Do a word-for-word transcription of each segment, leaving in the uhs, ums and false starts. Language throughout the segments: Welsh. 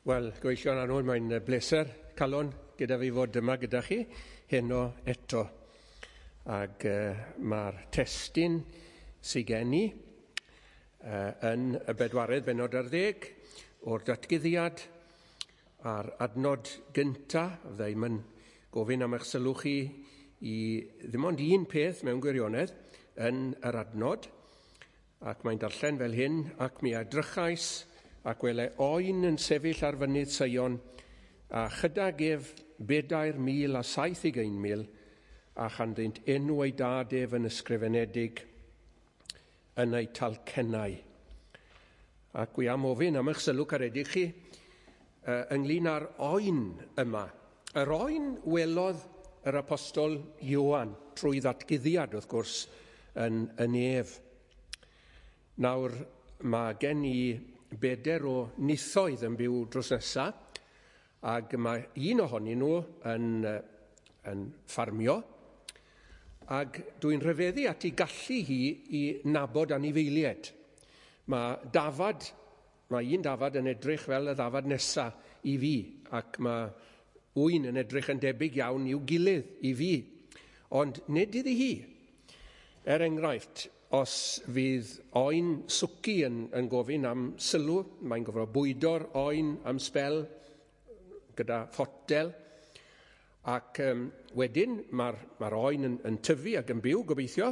Wel, gyfeillion annwyl, mae'n bleser calon gyda fi fod yma gyda chi heno eto. Ac uh, mae'r testun sydd gen i uh, yn y bedwaredd bennod ar ddeg o'r datguddiad a'r adnod gynta, fydda i'm yn gofyn am eich sylw chi i ddim ond un peth mewn gwirionedd yn yr adnod, ac mae'n darllen fel hyn, ac mi edrychais ac wele oen yn sefyll ar fynydd Seion, a chydag ef bedair mil a saith ugain mil, a chanddynt enw ei dad ef yn ysgrifenedig yn ei talcennau. Ac wi am ofyn am eich sylw caredig chi uh, ynglyn â'r oen yma. Yr oen welodd yr apostol Ioan trwy ddatguddiad, wrth gwrs, yn y nef. Nawr, mae gen i beder o nithoedd yn byw drws nesa, ac mae un ohonyn nhw yn, yn ffarmio, ac dwi'n rhyfeddu at ei gallu hi i nabod anifeiliaid. Mae dafad, mae un dafad yn edrych fel y ddafad nesa i fi, ac mae ŵyn yn edrych yn debyg iawn i'w gilydd i fi, ond nid iddi hi. Er enghraifft, os fydd oen swci yn, yn gofyn am sylw, mae'n gofio bwydo'r oen am sbel gyda photel, ac um, wedyn mae'r mae oen yn, yn tyfu ac yn byw, gobeithio,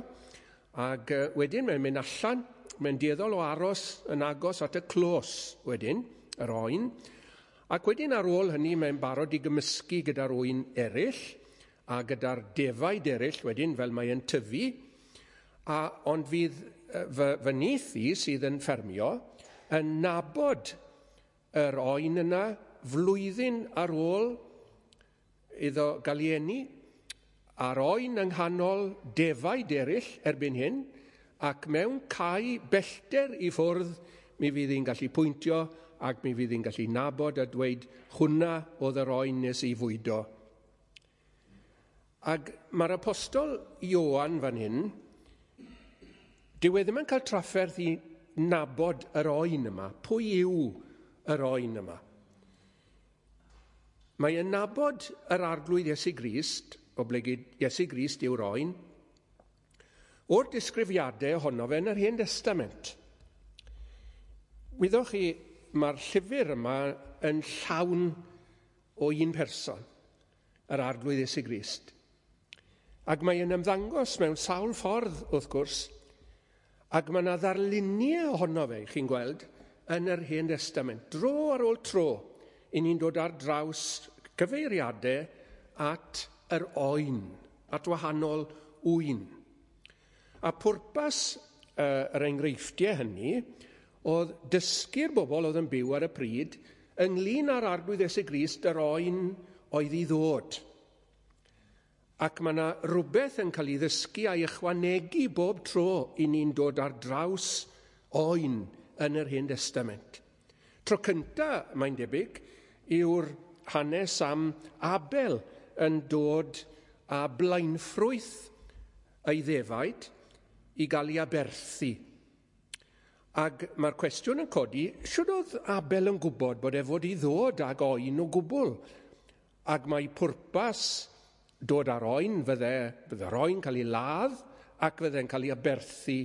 ac uh, wedyn mae'n mynd allan, mae'n dueddol o aros yn agos at y clos wedyn, yr oen, ac wedyn ar ôl hynny mae'n barod i gymysgu gyda'r oen eraill, a gyda'r defaid eraill wedyn fel mae'n tyfu, a, ond fydd fy, fy nith i sydd yn ffermio yn nabod yr oen yna flwyddyn ar ôl iddo gael ei eni, a'r oen yng nghanol defaid eraill erbyn hyn, ac mewn cae bellter i ffwrdd mi fydd hi'n gallu pwyntio ac mi fydd hi'n gallu nabod a dweud hwnna oedd yr oen nes i fwydo. Ac mae'r apostol Ioan fan hyn, dyw e ddim yn cael trafferth i nabod yr oen yma. Pwy yw yr oen yma? Mae yn nabod yr arglwydd Iesu Grist, oblegid Iesu Grist yw'r oen, o'r disgrifiadau ohono fe yn yr Hen Testament. Wyddoch chi, mae'r llyfr yma yn llawn o un person, yr arglwydd Iesu Grist. Ac mae yn ymddangos mewn sawl ffordd, wrth gwrs, ac mae yna ddarluniau ohono fe, chi'n gweld, yn yr Hen Testament. Dro ar ôl tro, i ni'n dod ar draws cyfeiriadau at yr oen, at wahanol ŵyn. A pwrpas uh, yr enghreifftiau hynny oedd dysgu'r bobl oedd yn byw ar y pryd ynglyn â'r arglwydd Iesu Grist yr oen oedd i ddod. Ac mae yna rhywbeth yn cael ei ddysgu a'i ychwanegu bob tro i ni'n dod ar draws oen yn yr Hen Testament. Tro cynta, mae'n debyg, yw'r hanes am Abel yn dod â blaenffrwyth ei ddefaid i gael ei aberthu. Ac mae'r cwestiwn yn codi, shwd oedd Abel yn gwybod bod e fod i ddod ag oen o gwbl? Ac mae pwrpas dod ar oen, fydde, fydde'r oen cael ei ladd ac fydde'n cael ei aberthu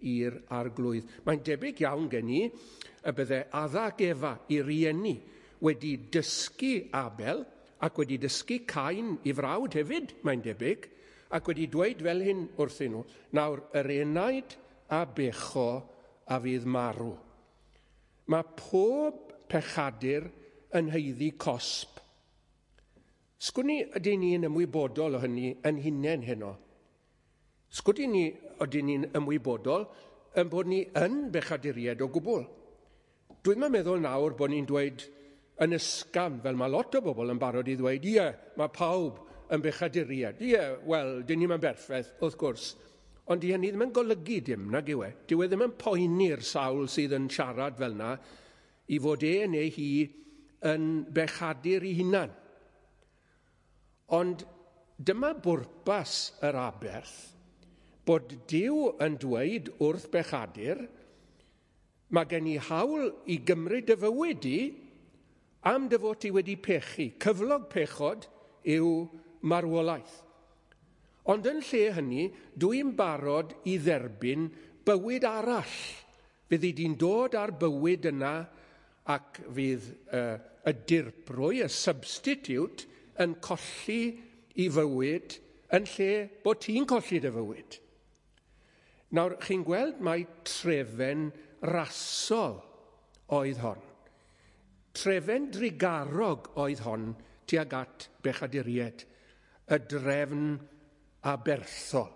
i'r arglwydd. Mae'n debyg iawn gen i y bydde Adda ac Efa i rieni wedi dysgu Abel ac wedi dysgu Cain i frawd hefyd, mae'n debyg, ac wedi dweud fel hyn wrthyn nhw, nawr yr enaid a becho a fydd marw. Mae pob pechadur yn haeddu cosb. Sgwn i ydyn ni'n ymwybodol o hynny yn hunain heno? Sgwn ni ydyn ni'n ymwybodol yn bod ni yn bechaduriaid o gwbl? Dwi'm yn meddwl nawr bod ni'n dweud yn ysgafn, fel mae lot o bobl yn barod i ddweud, ie, mae pawb yn bechaduriaid. Ie, wel, dyn ni'm yn berffaith, wrth gwrs. Ond di hynny ddim yn golygu dim, nag yw e. Dyw e ddim yn poeni'r sawl sydd yn siarad fel yna i fod e neu hi yn bechadur ei hunan. Ond dyma bwrpas yr aberth, bod Duw yn dweud wrth bechadur, mae gen i hawl i gymryd y fywyd i, Am dy fod ti wedi pechu, cyflog pechod yw marwolaeth. Ond yn lle hynny, dwi'n barod i dderbyn bywyd arall. Fyddi di'n dod ar bywyd yna ac fydd uh, y dirprwy, y substitute, yn colli i fywyd yn lle bod ti'n colli dy fywyd. Nawr, chi'n gweld mai trefen rasol oedd hon. Trefen drugarog oedd hon tuag at bechaduriaid, y drefn aberthol.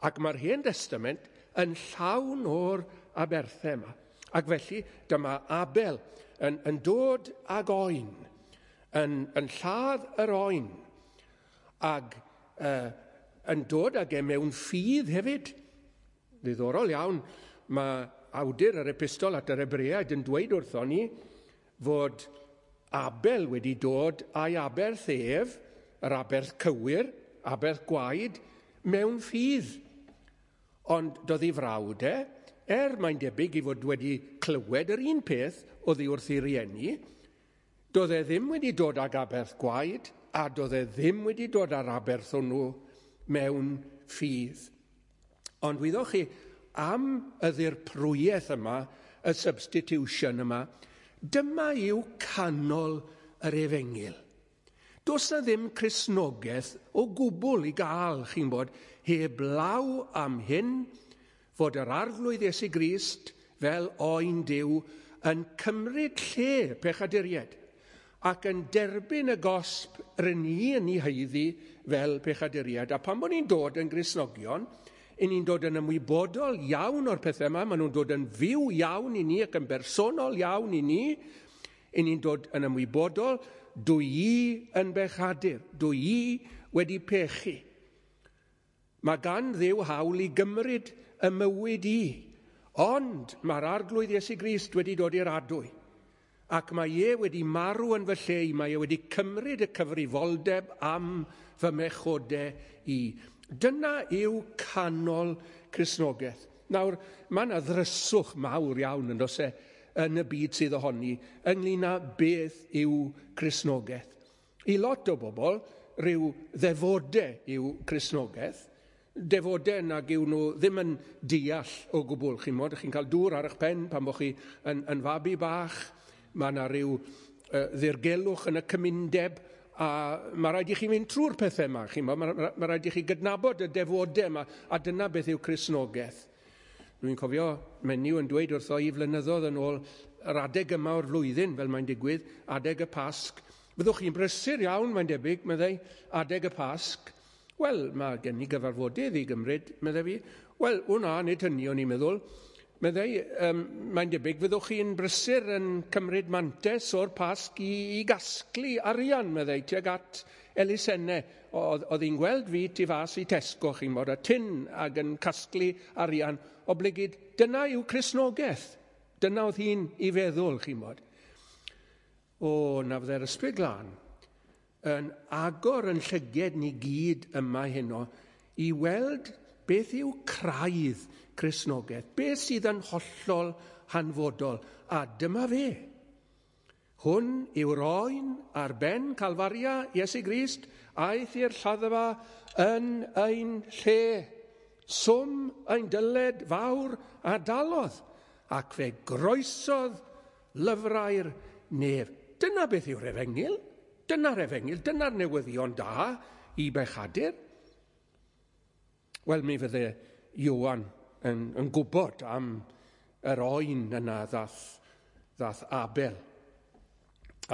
Ac mae'r Hen Destament yn llawn o'r aberthau yma. Ac felly dyma Abel yn, yn dod ag oen, yn, yn lladd yr oen, ag uh, yn dod ag e mewn ffydd hefyd. Ddiddorol iawn, mae awdur yr epistol at yr Hebreaid yn dweud wrthon ni fod Abel wedi dod a'i aberth ef, yr aberth cywir, aberth gwaed, mewn ffydd. Ond doedd ei frawd e, er mae'n debyg i fod wedi clywed yr un peth oddi wrth ei rieni, doedd e ddim wedi dod ag aberth gwaed, a doedd e ddim wedi dod â'r aberth hwnnw mewn ffydd. Ond wyddoch chi, am y ddirprwyaeth yma, y substitution yma, dyma yw canol yr efengyl. Does na ddim Cristnogaeth o gwbl i gael, chi'n bod, heblaw am hyn, fod yr Arglwydd Iesu Grist fel oen Duw yn cymryd lle pechaduriaid ac yn derbyn y gosb rŷn ni yn ei haeddu fel pechaduriaid. A pan bod ni'n dod yn Gristnogion, i ni'n dod yn ymwybodol iawn o'r pethau yma, maen nhw'n dod yn fyw iawn i ni ac yn bersonol iawn i ni, i ni'n dod yn ymwybodol, dwi i yn bechadur, dwi i wedi pechu. Mae gan Dduw hawl i gymryd y mywyd i, ond mae'r Arglwydd Iesu Grist wedi dod i'r adwy, ac mae e wedi marw yn fy lle i, mae e wedi cymryd y cyfrifoldeb am fy mechodau i. Dyna yw canol Cristnogaeth. Nawr, mae yna ddryswch mawr iawn yn does e, yn y byd sydd ohoni ynglyn â beth yw Cristnogaeth. I lot o bobl, rhyw ddefodau yw Cristnogaeth, defodau nag yw nhw ddim yn deall o gwbl. Chi'n mod, chi'n cael dŵr ar eich pen pan bod chi yn, yn fabi bach, mae yna rhyw uh, ddirgelwch yn y cymundeb, a mae rhaid i chi fynd trwy'r pethau yma, chi'n bod, mae, mae rhaid i chi gydnabod y defodau yma, a dyna beth yw Cristnogaeth. Dwi'n cofio menyw yn dweud wrtho i flynyddoedd yn ôl yr adeg yma o'r flwyddyn, fel mae'n digwydd, adeg y Pasg. Fyddwch chi'n brysur iawn, mae'n debyg, meddai, adeg y Pasg. Wel, mae gen i gyfarfodydd i gymryd, meddai fi. Wel, wna, nid hynny o'n i'n meddwl. Meddai, um, mae'n debyg, fyddwch chi'n brysur yn cymryd mantes o'r Pasg i, i gasglu arian, meddai, tuag at elusennau. Oedd, oedd hi'n gweld fi tu fas i Tesco, chi'n bod, a tyn ac yn casglu arian, oblegid, dyna yw Cristnogaeth. Dyna oedd hi'n i feddwl, chi'n bod. O, na fydde'r Ysbryd Glân yn agor yn llyged ni gyd yma heno i weld beth yw craidd Cristnogaeth, beth sydd yn hollol hanfodol, a dyma fe. Hwn yw'r oen ar ben Calfaria, Iesu Grist, aeth i'r lladdfa yn ein lle. Swm ein dyled fawr a dalodd, ac fe groesodd lyfrau'r nef. Dyna beth yw'r efengyl. Dyna'r efengyl, dyna'r newyddion da i bechadur. Wel, mi fydde Ioan yn, yn gwybod am yr oen yna ddath, ddath Abel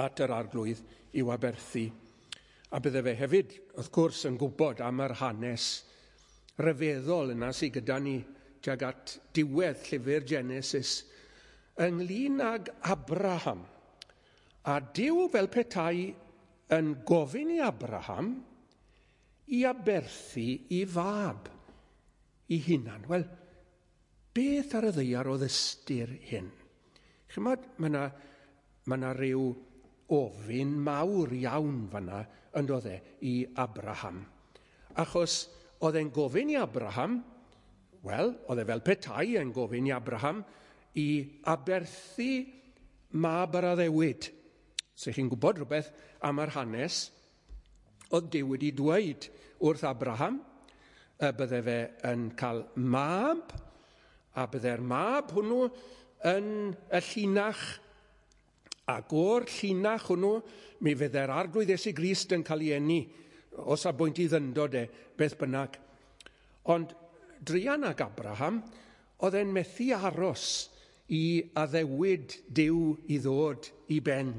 at yr Arglwydd i'w aberthu. A bydde fe hefyd, wrth gwrs, yn gwybod am yr hanes rhyfeddol yna sydd gyda ni tuag at diwedd llyfr Genesis ynglyn ag Abraham. A Duw fel petai yn gofyn i Abraham i aberthu i fab i hunan. Wel, beth ar y ddaear oedd ystyr hyn? Chymod, mae yna ma na ryw ofyn mawr iawn fanna yn doedd e i Abraham. Achos oedd e'n gofyn i Abraham, wel, oedd e fel petai yn gofyn i Abraham i aberthu mab yr addewid, Os ych chi'n gwybod rhywbeth am yr hanes, oedd Duw wedi dweud wrth Abraham y bydde fe yn cael mab, a bydde'r mab hwnnw yn y llinach, ac o'r llinach hwnnw mi fydde'r Arglwydd Iesu Grist yn cael ei eni, os a bwynt i ddyndod e, beth bynnag. Ond druan ag Abraham, oedd e'n methu aros i addewid Duw i ddod i ben.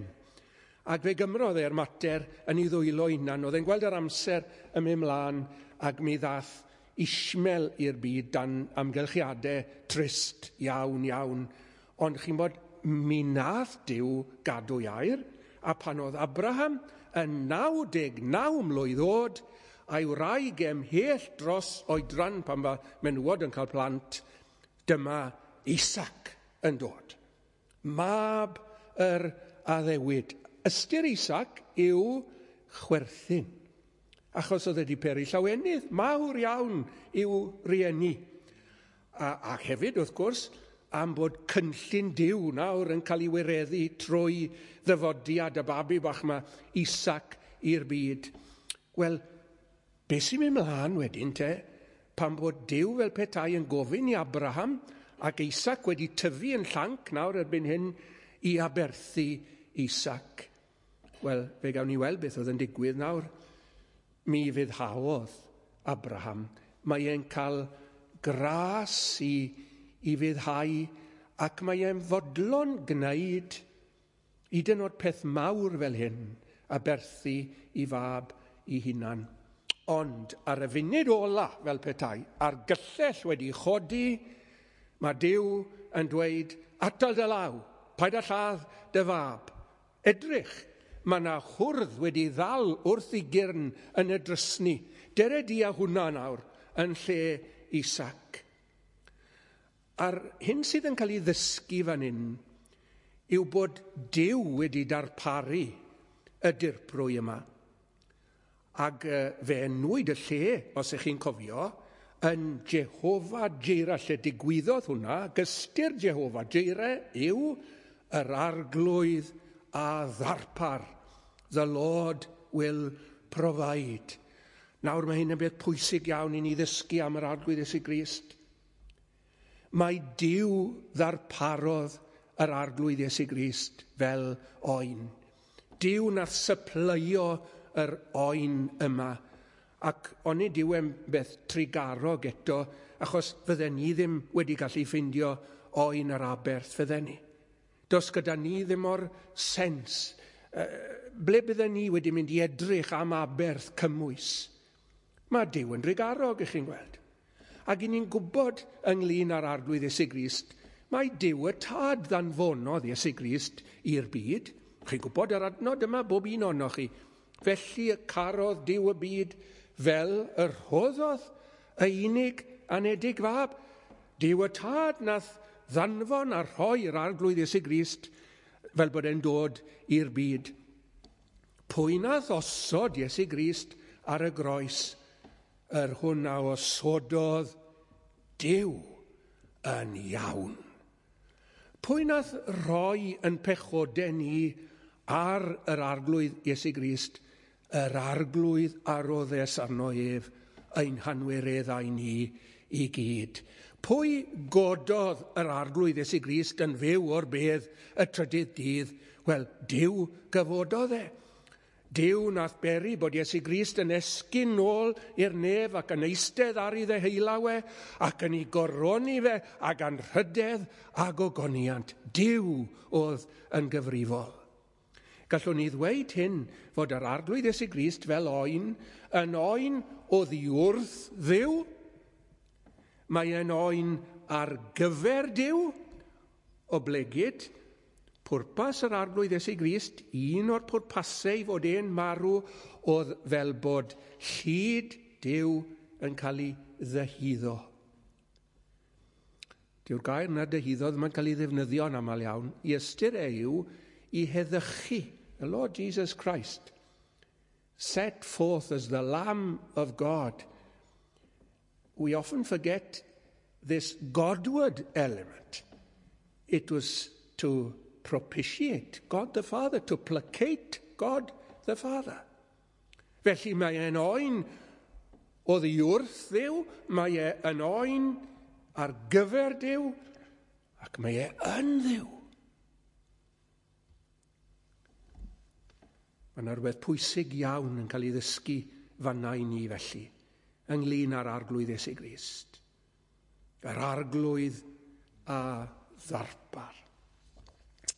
Ac fe gymrodd e'r mater yn ei ddwylo hunan. Oedd e'n gweld yr amser yn mynd mlaen ac mi ddath Ishmael i'r byd dan amgylchiadau trist iawn iawn. Ond chi'n bod, mi nath Duw gadw air, a pan oedd Abraham yn naw deg naw mlwydd oed, a'i wraig ymhell dros oedran pan mae menywod yn cael plant, dyma Isaac yn dod. Mab yr addewid. Ystyr Isaac yw chwerthin, achos oedd wedi peri llawenydd mawr iawn i'w rieni. A, a hefyd, wrth gwrs, am bod cynllun Duw nawr yn cael ei wireddu trwy ddyfodiad y babi bach yma, Isaac, i'r byd. Wel, beth sy'n mynd mlaen wedyn te, pan bod Duw fel petai yn gofyn i Abraham ac Isaac wedi tyfu yn llanc nawr erbyn hyn i aberthu Isaac. Wel, fe gawn ni weld beth oedd yn digwydd nawr. Mi ufuddhaodd Abraham. Mae e'n cael gras i, i ufuddhau ac mae e'n fodlon gwneud hyd yn oed peth mawr fel hyn, aberthu i fab i hunan. Ond ar y funud ola, fel petai, a'r gyllell wedi chodi, mae Duw yn dweud, atal dy law, paid â lladd dy fab. Edrych, mae yna hwrdd wedi ddal wrth ei gyrn yn y drysni. Dere di â hwnna nawr yn lle Isaac. A'r hyn sydd yn cael ei ddysgu fan hyn yw bod Duw wedi darparu y dirprwy yma. Ac fe enwyd y lle, os ych chi'n cofio, yn Jehofa Jireh, lle digwyddodd hwnna, ystyr Jehofa Jireh yw yr Arglwydd a ddarpar. The Lord will provide. Nawr mae hyn yn beth pwysig iawn i ni ddysgu am yr Arglwydd Iesu Grist. Mae Duw ddarparodd yr Arglwydd Iesu Grist fel oen. Duw nath sypleio yr oen yma. Ac onid yw e'n beth trugarog eto, achos fydden ni ddim wedi gallu ffeindio oen yr aberth, fydden ni. Does gyda ni ddim o'r sens. Ble bydden ni wedi mynd i edrych am aberth cymwys? Mae Duw yn drugarog, ych chi'n gweld. Ac i ni'n gwybod ynglyn â'r Arglwydd Iesu Grist, mae Duw y Tad ddanfonodd Iesu Grist i'r byd. Chi'n gwybod yr adnod yma, bob un ohonoch chi. Felly y carodd Duw y byd fel y rhoddodd y unig anedig fab. Duw y Tad nath ddanfon a rhoi'r Arglwydd Iesu Grist fel bod e'n dod i'r byd. Pwy nath osod Iesu Grist ar y groes? Yr hwn a osododd Duw yn iawn. Pwy nath roi yn pechodau ni ar yr Arglwydd Iesu Grist? Yr Arglwydd a roddes arno ef ein hanwireddau ni i gyd. Pwy gododd yr Arglwydd Iesu Grist yn fyw o'r bedd y trydydd dydd? Wel, Duw gyfododd e. Duw nath beri bod Iesu Grist yn esgyn nôl i'r nef ac yn eistedd ar ei ddeheullaw e ac yn ei goroni fe ag anrhydedd a gogoniant. Duw oedd yn gyfrifol. Gallwn ni ddweud hyn fod yr Arglwydd Iesu Grist fel oen yn oen oddi wrth Dduw. Mae e'n oen ar gyfer Duw, oblegid pwrpas yr Arglwydd Iesu Grist, un o'r pwrpasau i fod e'n marw, oedd fel bod llid Duw yn cael ei ddyhuddo. Dyw'r gair na dyhuddo ddim yn cael ei ddefnyddio'n aml iawn. I ystyr e yw i heddychu. The Lord Jesus Christ, set forth as the Lamb of God. We often forget this Godward element. It was to propitiate God the Father, to placate God the Father. Felly mae e'n oen oddi wrth Dduw, mae e yn oen ar gyfer Duw, ac mae e yn Dduw. Mae yna rhywbeth pwysig iawn yn cael ei ddysgu fanna i ni felly, ynglyn â'r Arglwydd Iesu Grist. Yr Arglwydd a ddarpar.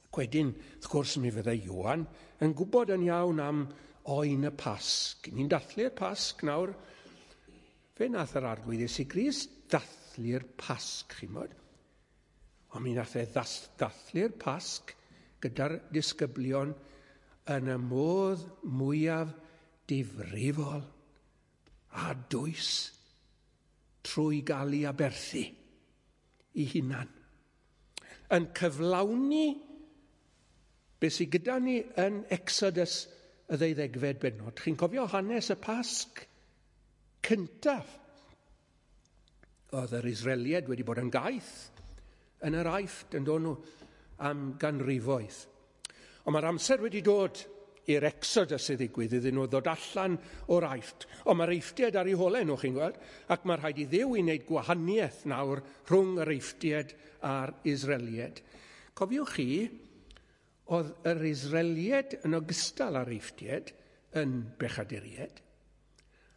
Ac wedyn, wrth gwrs, mi fyddai Ioan yn gwybod yn iawn am oen y Pasg. Ni'n dathlu'r Pasg nawr. Fe nath yr Arglwydd Iesu Grist dathlu'r Pasg, chi'n bod? Ond mi nath e dathlu'r Pasg gyda'r disgyblion yn y modd mwyaf difrifol a dwys trwy gael ei aberthu i hunan. Yn cyflawni beth sydd gyda ni yn Exodus y ddeuddegfed bennod. Chi'n cofio hanes y Pasg cyntaf? Oedd yr Israeliaid wedi bod yn gaeth yn yr Aifft yn dod nhw am ganrifoedd. Ond mae'r amser wedi dod i'r Exodus i ddigwydd iddyn nhw ddod allan o'r Aifft. Ond mae'r Eifftiaid ar eu holau nhw, chi'n gweld, ac mae rhaid i Dduw i wneud gwahaniaeth nawr rhwng yr Eifftiaid a'r Israeliaid. Cofiwch chi, oedd yr Israeliaid yn ogystal â'r Eifftiaid yn bechaduriaid.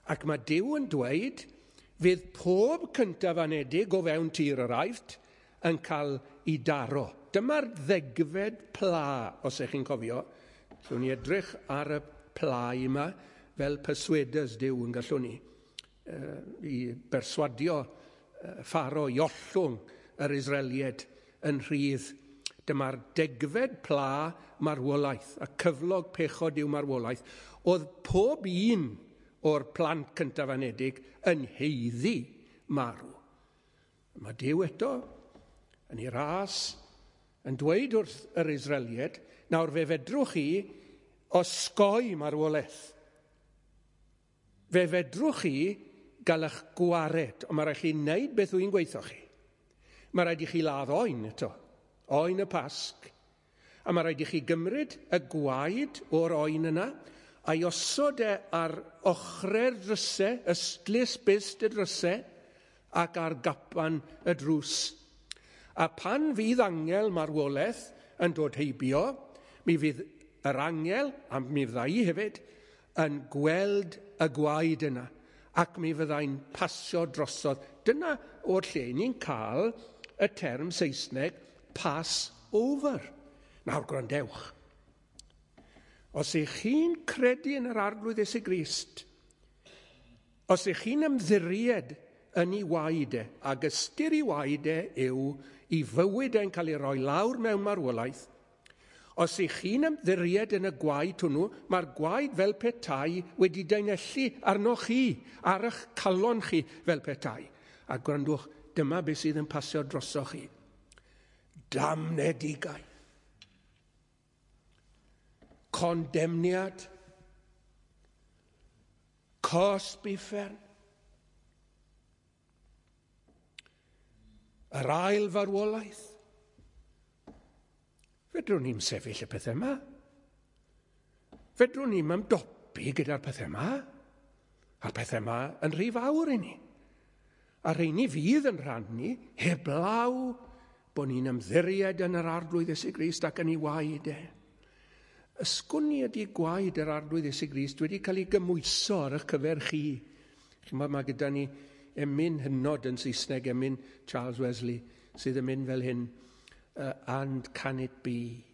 Ac mae Duw yn dweud, fydd pob cyntaf anedig o fewn tir yr Aifft yn cael ei daro. Dyma'r ddegfed pla, os ych chi'n cofio. Gallwn ni edrych ar y pla yma fel persuaders Duw yn gallwn ni uh, i berswadio uh, Pharaoh i ollwng yr Israeliaid yn rhydd. Dyma'r degfed pla marwolaeth, a cyflog pechod yw marwolaeth. Oedd pob un o'r plant cyntaf anedig yn haeddu marw. Mae Duw eto yn ei ras yn dweud wrth yr Israeliaid, nawr fe fedrwch chi osgoi marwolaeth. Fe fedrwch chi gael eich gwared, ond mae rhaid chi wneud beth wy'n gweithio chi. Mae rhaid i chi ladd oen eto, oen y Pasg. A mae rhaid i chi gymryd y gwaed o'r oen yna a'i osod e ar ochrau'r drysau, ystlys byst y drysau, ac ar gapan y drws. A pan fydd angel marwolaeth yn dod heibio, mi fydd yr angel, a mi fydda i hefyd, yn gweld y gwaed yna, ac mi fyddai'n pasio drosodd. Dyna o'r lle ni'n cael y term Saesneg pass over. Nawr gwrandewch. Os ych chi'n credu yn yr Arglwydd Iesu Grist, os ych chi'n ymddiried yn ei waed e, ac ystyr ei waed e yw i fywyd e'n cael ei roi lawr mewn marwolaeth, os ych chi'n ymddiried yn y gwaed hwnnw, mae'r gwaed fel petai wedi daenellu arnoch chi, ar eich calon chi fel petai. A gwrandwch, dyma beth sydd yn pasio drosoch chi. Damnedigaeth. Condemniad. Cosb uffern. Yr ail farwolaeth. Fedrwn ni'm sefyll y pethau yma. Fedrwn ni'm ymdopi gyda'r pethau yma. A'r pethau yma yn rhy fawr i ni. A rheini fydd yn rhan ni, heblaw bod ni'n ymddiried yn yr Arglwydd Iesu Grist ac yn ei waed e. Ysgwn ni ydy gwaed yr Arglwydd Iesu Grist wedi cael ei gymwyso ar eich cyfer chi. Chi'n mae gyda ni emyn hynod yn Saesneg, emyn Charles Wesley, sydd yn mynd fel hyn. Uh, and can it be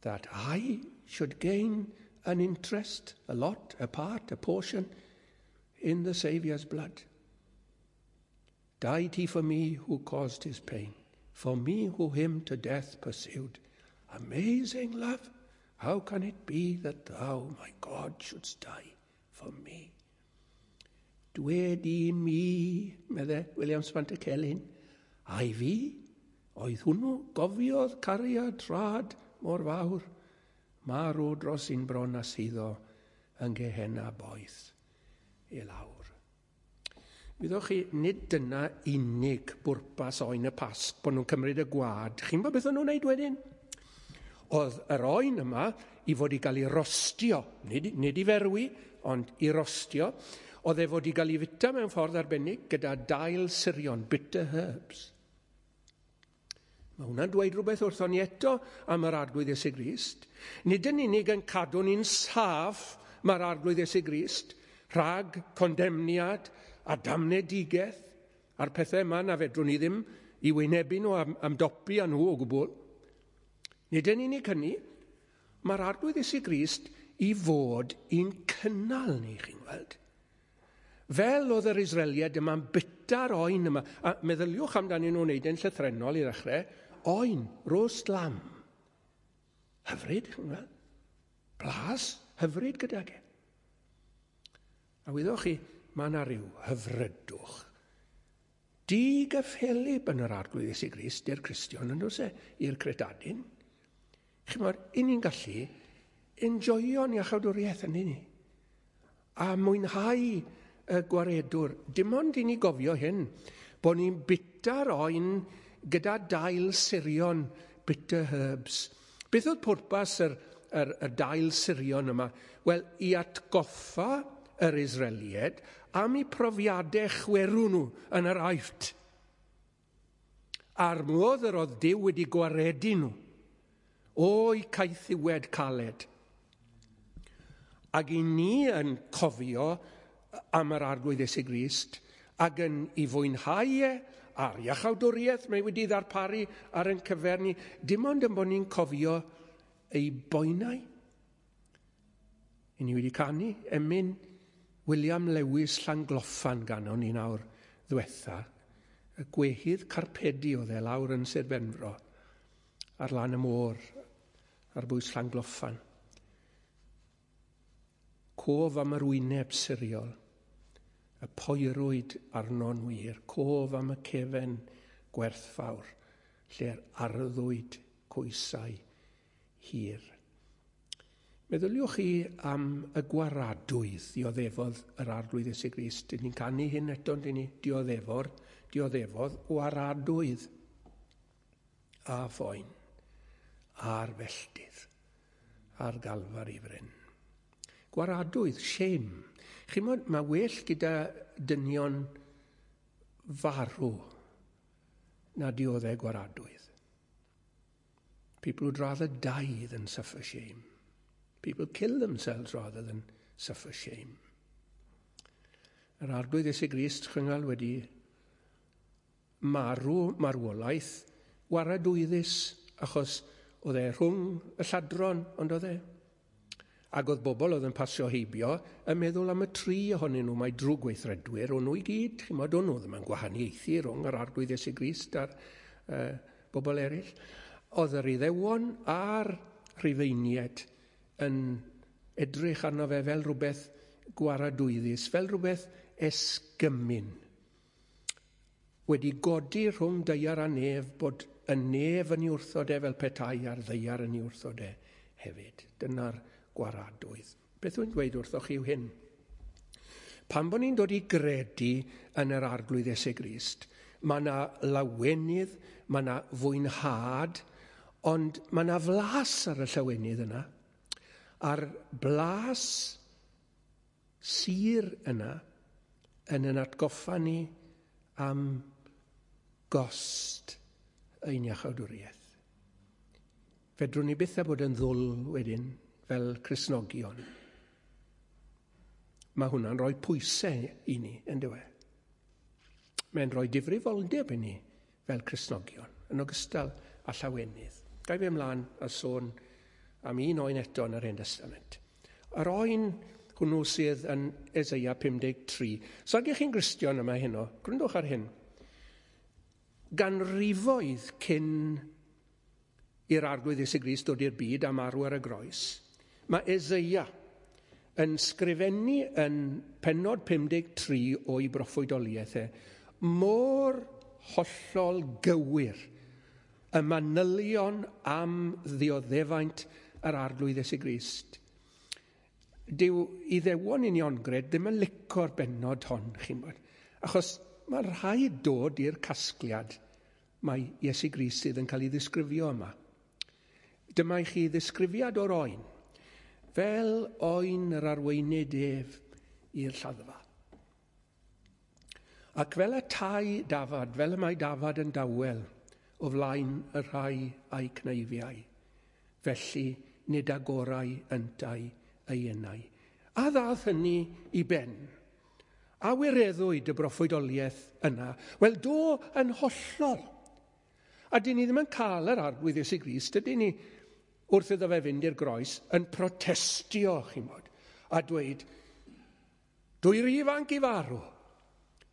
that I should gain an interest, a lot, a part, a portion in the Saviour's blood? Died he for me who caused his pain, for me who him to death pursued. Amazing love, how can it be that thou, my God, shouldst die for me? Dwed i mi, medde Williams Pantycelyn, ai fi, oedd hwnnw gofiodd cariad rhad mor fawr, marw dros un bron a suddo yn Gehenna boeth i lawr. Wyddoch chi, nid dyna unig bwrpas oen y Pasg, bod nhw'n cymryd y gwad. Chi'n gwybod beth o'n nhw'n wneud wedyn? Oedd yr oen yma i fod i gael ei rostio, nid, nid i ferwi, ond i rostio. Oedd e fod i gael ei fita mewn ffordd arbennig gyda dail surion, bitter herbs. Mae hwnna'n dweud rhywbeth wrthon ni eto am yr Arglwydd Iesu Grist. Nid yn unig yn cadw ni'n saff mae'r Arglwydd Iesu Grist rhag condemniad a damnedigaeth a'r pethau yma na fedrwn ni ddim i wynebu nhw am, am dopi â nhw o gwbl. Nid yn unig hynny, mae'r Arglwydd Iesu Grist i fod i'n cynnal ni, chi'n gweld. Fel oedd yr Israeliaid yma'n bita'r oen yma, a meddyliwch amdanyn nhw'n wneud yn llythrennol i ddechrau, oen, roast lamb. Hyfryd, chi'n gweld? Blas hyfryd gydag e. A wyddoch chi, mae yna rhyw hyfrydwch. Digyffelib yn yr Arglwydd Iesu Grist i'r Cristion yn does e, i'r credadun. Chi'mod, i ni'n gallu enjoyo'n iachawdwriaeth yn ni. A mwynhau y gwaredwr. Dim ond i ni gofio hyn, bod ni'n bita'r oen gyda dail surion, bitter herbs. Beth oedd pwrpas yr, yr, y dail surion yma? Wel, i atgoffa yr Israeliaid am eu profiadau chwerw nhw yn yr Aifft. A'r modd yr oedd Duw wedi gwaredu nhw o'i caethiwed caled. Ac i ni yn cofio am yr Arglwydd Iesu Grist ac yn ei fwynhau e a'r iachawdwriaeth mae wedi ddarparu ar ein cyfer ni, dim ond yn bod ni'n cofio ei boenau. I ni wedi canu emyn William Lewis Llangloffan ganon ni nawr ddwetha, y gwehydd carpedi oedd e lawr yn Sir Benfro, ar lan y môr, ar bwys Llangloffan. Cof am yr wyneb siriol, y poerwyd arno'n wir, cof am y cefen gwerthfawr, lle'r arddwyd coesau hir. Meddyliwch chi am y gwaradwydd dioddefodd yr Arglwydd Iesu Grist. Dyn ni'n canu hyn eto, dyn ni dioddefo'r, dioddefodd waradwydd a phoen a'r felltith a'r Galfari fryn. Gwaradwydd, shame. Chi'mod, mae well gyda dynion farw na dioddef gwaradwydd. People would rather die than suffer shame. People kill themselves rather than suffer shame. Yr Arglwydd Iesu Grist chyngal wedi marw marwolaeth waradwyddus achos oedd e rhwng y lladron, ond oedd e. Ac oedd bobl oedd yn pasio heibio yn meddwl am y tri ohonyn nhw, mae drwg weithredwyr, o'n nhw i gyd, chi'mod, o'n nhw ddim yn gwahaniaethu rhwng yr Arglwydd Iesu Grist a'r uh, bobl eraill. Oedd yr Iddewon a'r Rhufeiniaid yn edrych arno fe fel rhywbeth gwaradwyddus, fel rhywbeth esgymun. Wedi godi rhwng daear a nef bod y nef yn ei wrthod e fel petai a'r ddaear yn ei wrthod e hefyd. Dyna'r gwaradwydd. Beth wy'n dweud wrthoch chi yw hyn? Pan bod ni'n dod i gredu yn yr Arglwydd Iesu Grist, mae yna lawenydd, mae yna fwynhad, ond mae yna flas ar y llawenydd yna. A'r blas sur yna yn yn atgoffa ni am gost ein iachawdwriaeth. Fedrwn ni byth â bod yn ddwl wedyn fel Cristnogion. Mae hwnna'n rhoi pwysau i ni, yn dyw e? Mae'n rhoi difrifoldeb i ni fel Cristnogion, yn ogystal â llawenydd. Ga i fi ymlaen a sôn am un oen eto yn yr Hen Testament. Yr oen hwnnw sydd yn Eseia pum deg tri. So ag ych chi'n Gristion yma heno, gwrandwch ar hyn. Ganrifoedd cyn i'r Arglwydd Iesu Grist dod i'r byd a marw ar y groes, mae Eseia yn sgrifennu yn pennod pum deg tri o'i broffwydoliaeth e, mor hollol gywir y manylion am ddioddefaint yr Arglwydd Iesu Grist. Dyw Iddewon uniongred ddim yn lico'r bennod hon, chi'n bod, achos mae rhaid dod i'r casgliad mae Iesu Grist sydd yn cael ei ddisgrifio yma. Dyma i chi ddisgrifiad o'r oen, fel oen yr arweinydd ef i'r lladdfa. Ac fel y tai dafad, fel y mae dafad yn dawel o flaen y rhai a'i cneifiau, felly nid agorau yntau ei enau. A ddath hynny i ben? A wireddwyd y broffwydoliaeth yna? Wel, do yn hollol. A dyn ni ddim yn cael yr Arglwydd Iesu Grist, ydyn ni, wrth iddo fe fynd i'r groes, yn protestio, chi'n bod, a dweud, dwi rhy ifanc i farw.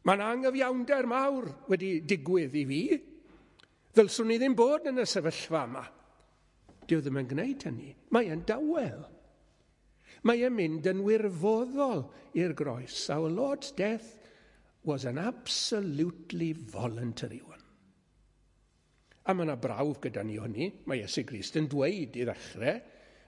Mae'n angyfiawnder mawr wedi digwydd i fi. Ddylswn ni ddim bod yn y sefyllfa yma. Dyw ddim yn gwneud hynny. Mae e'n dawel. Mae e'n mynd yn wirfoddol i'r groes. Our Lord's death was an absolutely voluntary one. A mae yna brawf gyda ni hynny. Mae Iesu Grist yn dweud i ddechrau,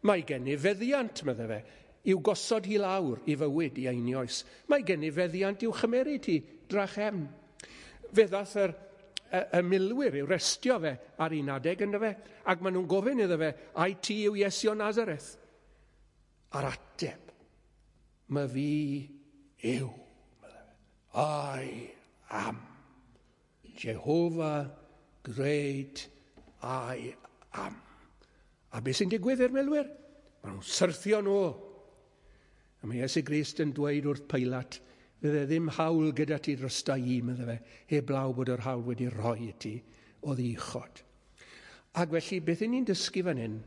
mae gen i feddiant, medde fe, i'w gosod hi lawr i fywyd i einioes. Mae gen i feddiant i'w chymeryd hi drachefn. Fe ddath yr, y, y milwyr i'w restio fe ar un adeg ynddo fe, ac maen nhw'n gofyn iddo fe, ai ti yw Iesu o Nazareth? A'r ateb, mae fi yw, medde fe. I am Jehovah Great I Am. A beth sy'n digwydd i'r milwyr? Maen nhw'n syrthio nôl. A mae Iesu Grist yn dweud wrth Peilat, fydde ddim hawl gyda ti drosta i, medde fe, heblaw bod yr hawl wedi rhoi i ti o ddichod. Ac felly, beth y'n ni'n dysgu fan hyn?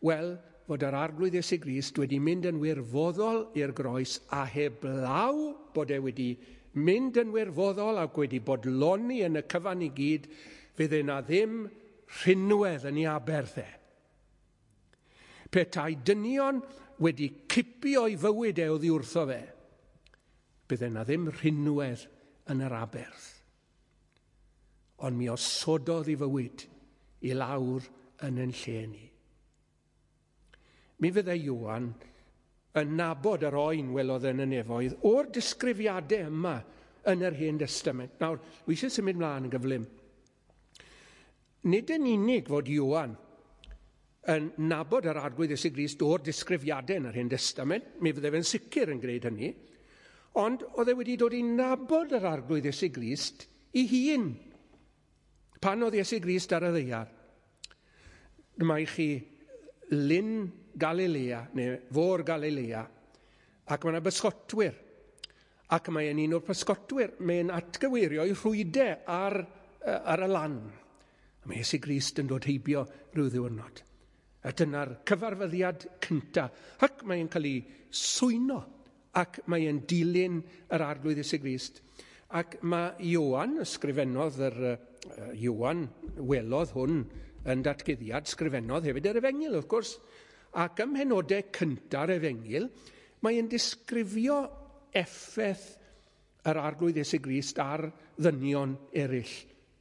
Wel, fod yr Arglwydd Iesu Grist wedi mynd yn wirfoddol i'r groes a heblaw bod e wedi mynd yn wirfoddol ac wedi bodloni yn y cyfan i gyd, fydde na ddim rhinwedd yn ei aberth e. Petai dynion wedi cipio ei fywyd e oddi wrtho fe, bydde na ddim rhinwedd yn yr aberth. Ond mi osododd ei fywyd i lawr yn yn lle ni. Mi fydde Ioan yn nabod yr oen welodd yn y nefoedd o'r disgrifiadau yma yn yr Hen Testament. Nawr, wi eisiau symud mlaen yn gyflym. Nid yn unig fod Ioan yn nabod yr Arglwydd Iesu Grist o'r disgrifiadau yn yr Hen Testament, mi fydde fe'n sicr yn gwneud hynny, ond oedd e wedi dod i nabod yr Arglwydd Iesu Grist i hun pan oedd Iesu Grist ar y ddaear. Dyma i chi Lyn Galilea, neu Fôr Galilea, ac mae yna bysgotwyr. Ac mae e'n un o'r pysgotwyr, mae'n atgyweirio ei rhwydau ar, ar y lan. A mae Iesu Grist yn dod heibio rhyw ddiwrnod. A dyna'r cyfarfyddiad cyntaf. Ac mae'n cael ei swyno, ac mae'n dilyn yr Arglwydd Iesu Grist. Ac mae Ioan, ysgrifennodd yr, uh, Ioan welodd hwn yn datguddiad, sgrifennodd hefyd yr Efengyl, wrth gwrs. Ac ym mhenodau cynta'r Efengyl, mae'n disgrifio effaith yr Arglwydd Iesu Grist ar ddynion eraill,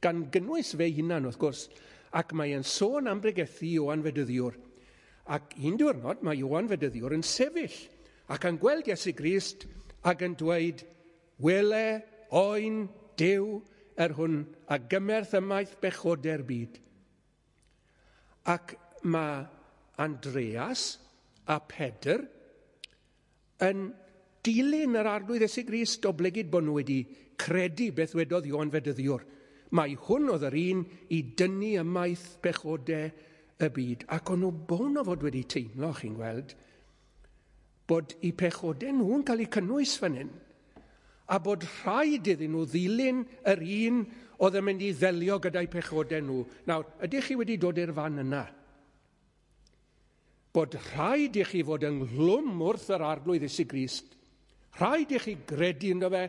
gan gynnwys fe hunan, wrth gwrs. Ac mae'n sôn am bregethu Ioan Fedyddiwr. Ac un diwrnod mae Ioan Fedyddiwr yn sefyll ac yn gweld Iesu Grist ac yn dweud, wele oen Duw yr hwn a gymerth ymaith bechodau'r byd. Ac mae Andreas a Pedr yn dilyn yr Arglwydd Iesu Grist oblegid bod nhw wedi credu beth wedodd Ioan Fedyddiwr. Mae hwn oedd yr un i dynnu ymaith bechodau y byd. Ac o'n nhw bown o fod wedi teimlo, chi'n gweld, bod eu pechodau nhw'n cael eu cynnwys fan hyn, a bod rhaid iddyn nhw ddilyn yr un oedd yn mynd i ddelio gyda'u pechodau nhw. Nawr, ydych chi wedi dod i'r fan yna? Bod rhaid i chi fod ynghlwm wrth yr Arglwydd Iesu Grist. Rhaid i chi gredu ynddo fe,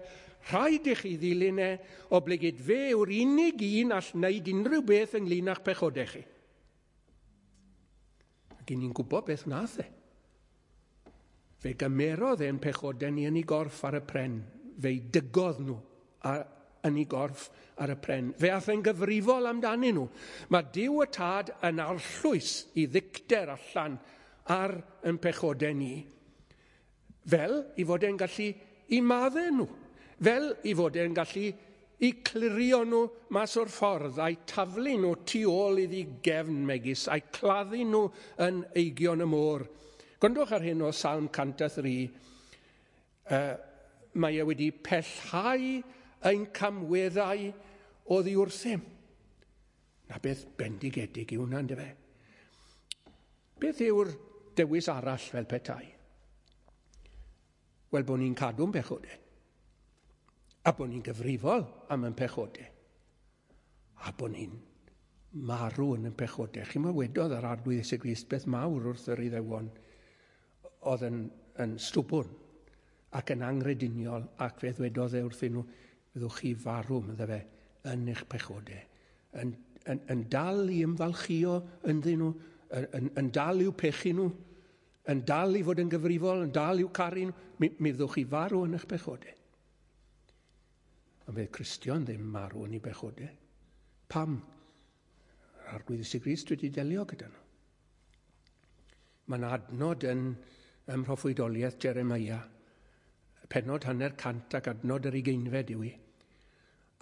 rhaid i chi ddilyn e, oblegid fe yw'r unig un all wneud unrhyw beth ynglyn â'ch pechodau chi. Ac ni'n gwybod beth wnaeth e. Fe gymerodd e'n pechodau ni yn ei gorff ar y pren. Fe'i dygodd nhw ar, yn ei gorff ar y pren. Fe ath e'n gyfrifol amdanyn nhw. Mae Duw y Tad yn arllwys i ddicter allan ar yn pechodau ni, fel i fod e'n gallu i maddau nhw, fel i fod e'n gallu i clirio nhw mas o'r ffordd, a'i taflu nhw tu ôl iddi gefn megis, a'i claddu nhw yn eigion y môr. Gwrandwch ar hyn o Salm cant a thri, uh, mae e wedi pellhau ein camweddau oddi wrthym. Na beth bendigedig yw hwnna, yndyfe? Beth yw'r dewis arall fel petai? Wel, bod ni'n cadw'n pechodau. A bod ni'n gyfrifol am ein pechodau. A bod ni'n marw yn ein pechodau. Chi'n meddwl wedodd yr Arglwydd Iesu Grist beth mawr wrth yr Iddewon oedd yn, yn stwbwrn ac yn angrediniol, ac fe ddwedodd e wrthyn nhw, fyddwch chi farw, medde fe, yn eich pechodau. Yn, yn, yn dal i ymfalchio ynddyn nhw, yn, yn, yn dal i'w pechu nhw, yn dal i fod yn gyfrifol, yn dal i'w caru nhw, mi, mi fyddwch chi farw yn eich pechodau. Ond fydd Cristion ddim marw yn ei bechodau. Pam? Yr Arglwydd Iesu Grist wedi delio gyda nhw. Mae'n adnod yn ym mhroffwydoliaeth Jeremia, pennod hanner cant ac adnod yr ugeinfed yw i.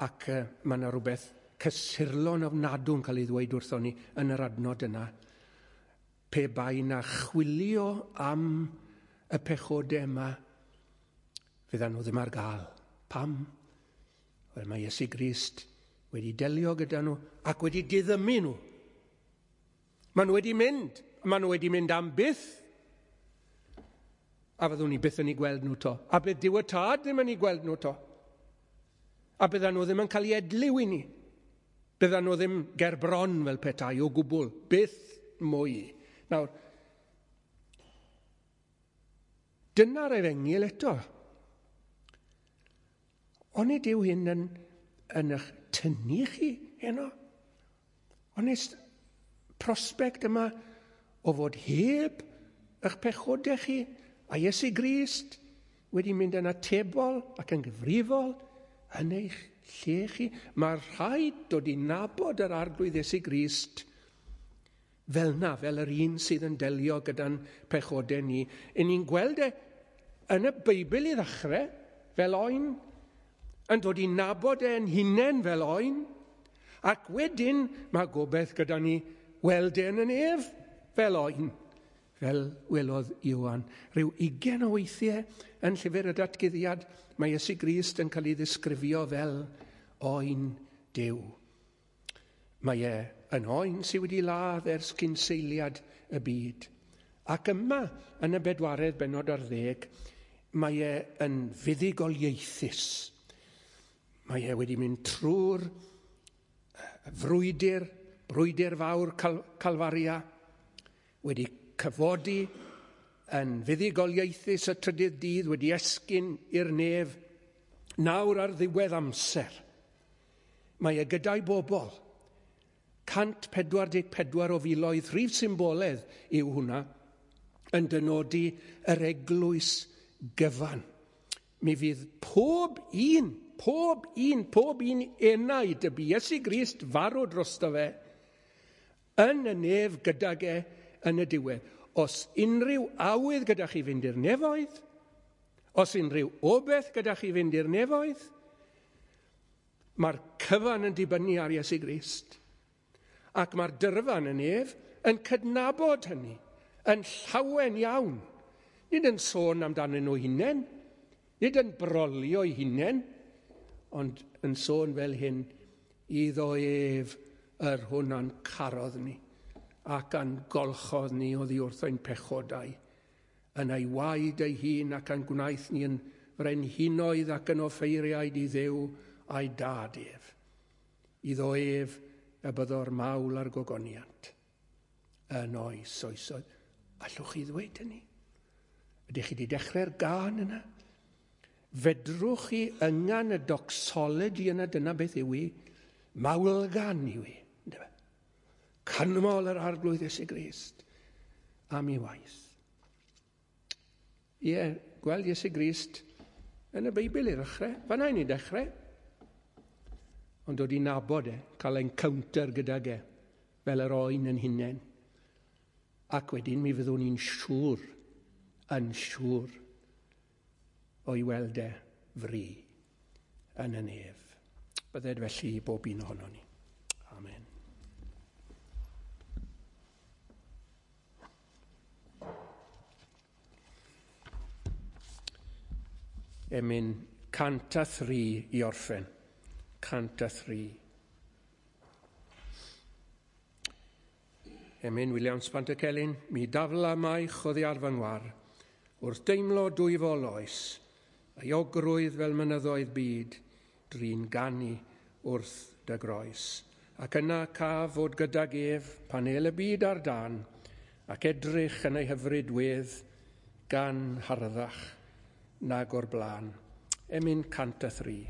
Ac uh, mae yna rhywbeth cysurlon ofnadw'n cael ei ddweud wrthon ni yn yr adnod yna. Pe bai na chwilio am y pechodau yma, fyddan nhw ddim ar gael. Pam? Wel, mae Iesu Grist wedi delio gyda nhw ac wedi diddymu nhw. Maen nhw wedi mynd. Maen nhw wedi mynd am byth. A fyddwn ni byth yn ei gweld nhw to. A bydd Duw y Tad ddim yn ei gweld nhw to. A byddan nhw ddim yn cael ei edliw i ni. Byddan nhw ddim ger bron fel petai o gwbl. Byth mwy. Nawr, dyna'r efengyl eto. Onid yw hyn yn, yn eich tynnu chi heno? Onid prospect yma o fod heb eich pechodau chi a Iesu Grist wedi mynd yn atebol ac yn gyfrifol yn eich lle chi? Mae rhaid dod i nabod yr Arglwydd Iesu Grist fel na, fel yr un sydd yn delio gyda'n pechodau ni. Yn ni'n gweld e yn y Beibl i ddechrau fel oen, yn dod i nabod e'n hunain fel oen, ac wedyn mae gobaith gyda ni weld e'n yn ef fel oen, fel welodd Ioan. Rhyw ugain o weithiau yn llyfr y Datguddiad, mae Iesu Grist yn cael ei ddisgrifio fel oen Duw. Mae e yn oen sydd wedi ladd ers cynseiliad y byd. Ac yma, yn y bedwaredd bennod ar ddeg, mae e yn fuddugoliaethus. Mae e wedi mynd trwy'r frwydr, brwydr fawr Cal- Calfaria, wedi cyfodi yn fuddugoliaethus y trydydd dydd, wedi esgyn i'r nef, nawr ar ddiwedd amser. Mae e gyda'i bobl. cant pedwar deg pedwar o filoedd, rhif symboledd yw hwnna, yn dynodi yr eglwys gyfan. Mi fydd pob un, pob un, pob un enaid y bu Iesu Grist farw drosto fe, yn y nef gydag e yn y diwedd. Os unrhyw awydd gyda chi fynd i'r nefoedd, os unrhyw obaith gyda chi fynd i'r nefoedd, mae'r cyfan yn dibynnu ar Iesu Grist. Ac mae'r dyrfan yn ef yn cydnabod hynny, yn llawen iawn. Nid yn sôn amdanyn nhw hunain, nid yn brolio eu hunain, ond yn sôn fel hyn, iddo ef yr hwn a'n carodd ni, ac a'n golchodd ni oddi wrth ein pechodau, yn ei waed ei hun ac a'n gwnaeth ni yn frenhinoedd ac yn offeiriaid i Dduw a'i dad ef. Iddo ef y byddo'r mawl a'r gogoniant yn oes oesoedd. Allwch chi ddweud hynny? Ydych chi wedi dechrau'r gân yna? Fedrwch chi yngan y doxology yna, dyna beth yw i, mawlgan yw i. Canmol yr Arglwydd Iesu Grist am ei waith. Ie, gweld Iesu Grist yn y Beibl i ddechrau. Fan'na i ni dechrau. Ond dod i nabod e, cael encounter gydag e, fel yr oen yn hunain. Ac wedyn mi fyddwn ni'n siŵr, yn siŵr, o'i weld e fri yn y nef. Bydded felly i bob un ohonon ni. Amen. Emyn cant a thri i orffen. Cant a thri. Emyn Williams Pantycelyn, mi dafla maich oddi ar fy ngwar, wrth deimlo dwyfol oes, euogrwydd fel mynyddoedd byd, drin ganu wrth dy groes. Ac yna caf fod gydag ef pan el y byd ar dan, ac edrych yn ei hyfryd wedd gan harddach nag o'r blaen. Emyn cant a thri.